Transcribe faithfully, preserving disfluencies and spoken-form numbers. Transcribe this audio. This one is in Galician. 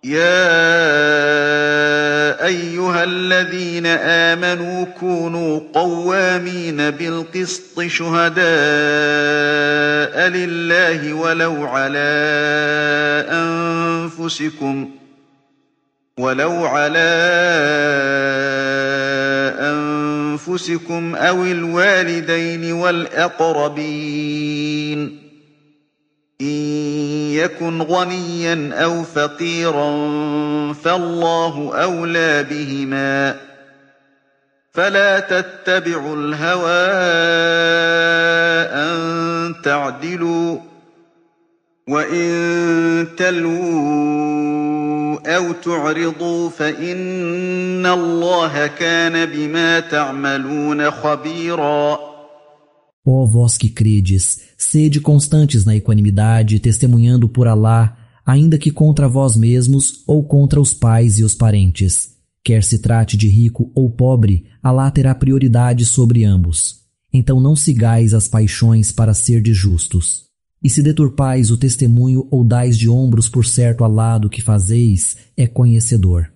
يا أيها الذين آمنوا كونوا قوامين بالقسط شهداء لله ولو على أنفسكم ولو على أنفسكم أو الوالدين والأقربين إن يكن غنيا أو فقيرا فالله أولى بهما فلا تتبعوا الهوى أن تعدلوا وإن تلووا أو تعرضوا فإن الله كان بما تعملون خبيرا. Ó vós que credes, sede constantes na equanimidade, testemunhando por Alá, ainda que contra vós mesmos ou contra os pais e os parentes. Quer se trate de rico ou pobre, Alá terá prioridade sobre ambos. Então não sigais as paixões para serdes justos. E se deturpais o testemunho ou dais de ombros por certo Alá do que fazeis, é conhecedor.